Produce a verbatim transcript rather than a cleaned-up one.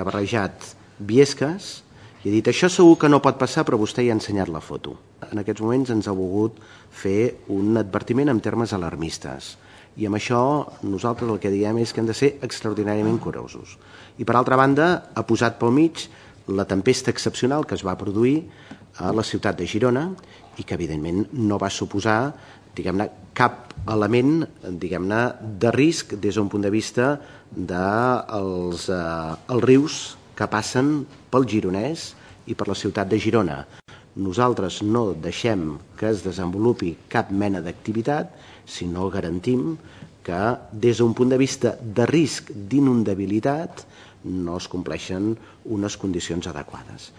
Ha barrejat Biescas i ha dit això segur que no pot passar, però vostè ja ha ensenyat la foto. En aquests moments ens ha volgut fer un advertiment en termes alarmistes i amb això nosaltres el que diem és que hem de ser extraordinàriament curosos. I per altra banda ha posat pel mig la tempesta excepcional que es va produir a la ciutat de Girona i que evidentment no va suposar diguem-ne cap element diguem-ne de risc des d'un punt de vista dels eh, els rius que passen pel Gironès i per la ciutat de Girona. Nosaltres no deixem que es desenvolupi cap mena d'activitat si no garantim que des d'un punt de vista de risc d'inundabilitat no es compleixen unes condicions adequades.